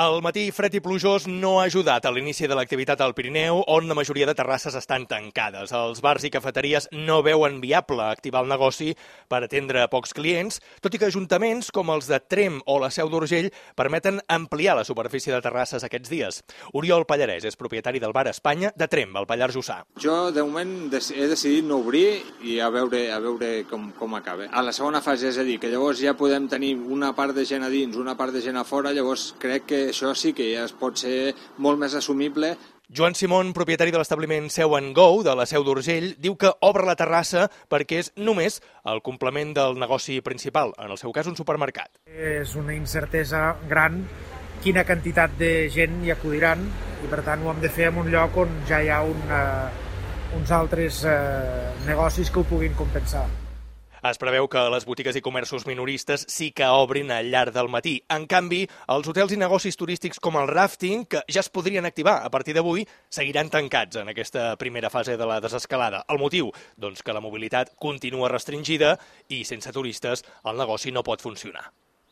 El matí fred i plujós no ha ajudat a l'inici de l'activitat al Pirineu, on la majoria de terrasses estan tancades. Els bars i cafeteries no veuen viable activar el negoci per atendre pocs clients, tot i que ajuntaments com els de Tremp o la Seu d'Urgell permeten ampliar la superfície de terrasses aquests dies. Oriol Pallarès és propietari del bar Espanya de Tremp, al Pallars Jussà. Jo, de moment, he decidit no obrir i a veure com acaba. A la segona fase, és a dir, que llavors ja podem tenir una part de gent a dins, una part de gent a fora, llavors crec que això sí que ja pot ser molt més assumible. Joan Simón, propietari de l'establiment Seu & Go, de la Seu d'Urgell, diu que obre la terrassa perquè és només el complement del negoci principal, en el seu cas un supermercat. És una incertesa gran quina quantitat de gent hi acudiran i per tant ho hem de fer en un lloc on ja hi ha uns altres negocis que ho puguin compensar. Es preveu que les botigues i comerços minoristes sí que obrin al llarg del matí. En canvi, els hotels i negocis turístics com el ràfting, que ja es podrien activar a partir d'avui, seguiran tancats en aquesta primera fase de la desescalada. El motiu? Doncs que la mobilitat continua restringida i sense turistes el negoci no pot funcionar.